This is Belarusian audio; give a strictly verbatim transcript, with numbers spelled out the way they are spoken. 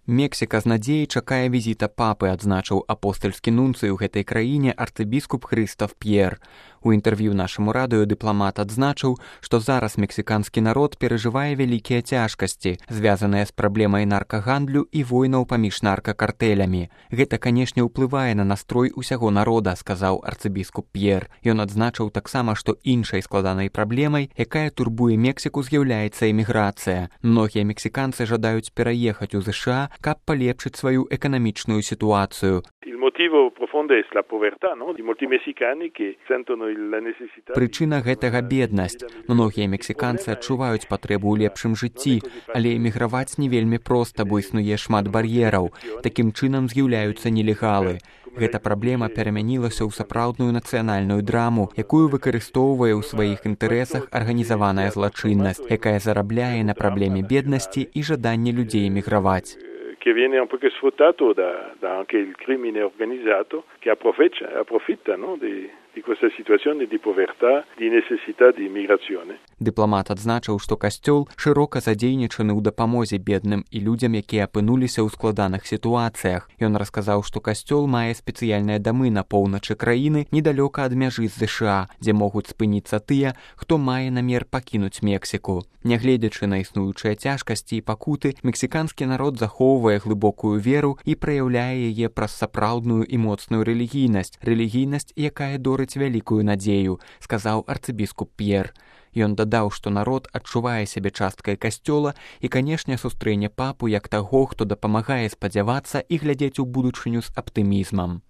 Мексіка з надзеяй чакае візіта папы, адзначыў апостальскі нунцый у гэтай краіне арцыбіскуп Хрыстаф П'ер. У інтэрв'ю нашаму радыё дыпламат адзначыў, што зараз мексіканскі народ перажывае вялікія цяжкасці, звязаныя з праблемай наркагандлю і войнаў паміж наркакартэлямі. Гэта, канешне, ўплывае на настрой усяго народа, сказаў арцыбіскуп П'ер. Ён адзначыў таксама, што іншай складанай праблемай, якая турбуе Мексіку, з'яўляецца эміграцыя. Многія мексіканцы жадаюць пераехаць у ЗША, каб палепшыць сваю эканамічную сітуацыю. Прычына гэтага беднасць. Многія мексіканцы адчуваюць патрэбу ў лепшым жыцці, але эміграваць не вельмі проста, бо існуе шмат бар'ераў. Такім чынам з'яўляюцца нелегалы. Гэта праблема перамянілася ў сапраўдную нацыянальную драму, якую выкарыстоўвае ў сваіх інтарэсах арганізаваная злачыннасць, якая зарабляе на праблеме беднасці і жаданні людзей эміграваць. che viene un po' sfruttato da, da anche il crimine organizzato che approfitta, approfitta no, di, di questa situazione di povertà, di necessità di immigrazione. Дыпламат адзначыў, што касцёл шырока задзейнічаны ў дапамозе бедным і людзям, якія апынуліся ў складаных сітуацыях. Ён расказаў, што касцёл мае спецыяльныя дамы на поўначы краіны недалёка ад мяжы з ЗША, дзе могуць спыніцца тыя, хто мае намер пакінуць Мексіку. Нягледзячы на існуючыя цяжкасці і пакуты, мексіканскі народ захоўвае глыбокую веру і праяўляе яе праз сапраўдную і моцную рэлігійнасць, рэлігійнасць, якая дорыць вялікую надзею, сказаў арцыбіскуп П'ер. Ён дадаў, што народ адчувае сябе часткай касцёла і, канешне, сустрэне папу як таго, хто дапамагае спадзявацца і глядзець у будучыню з аптымізмам.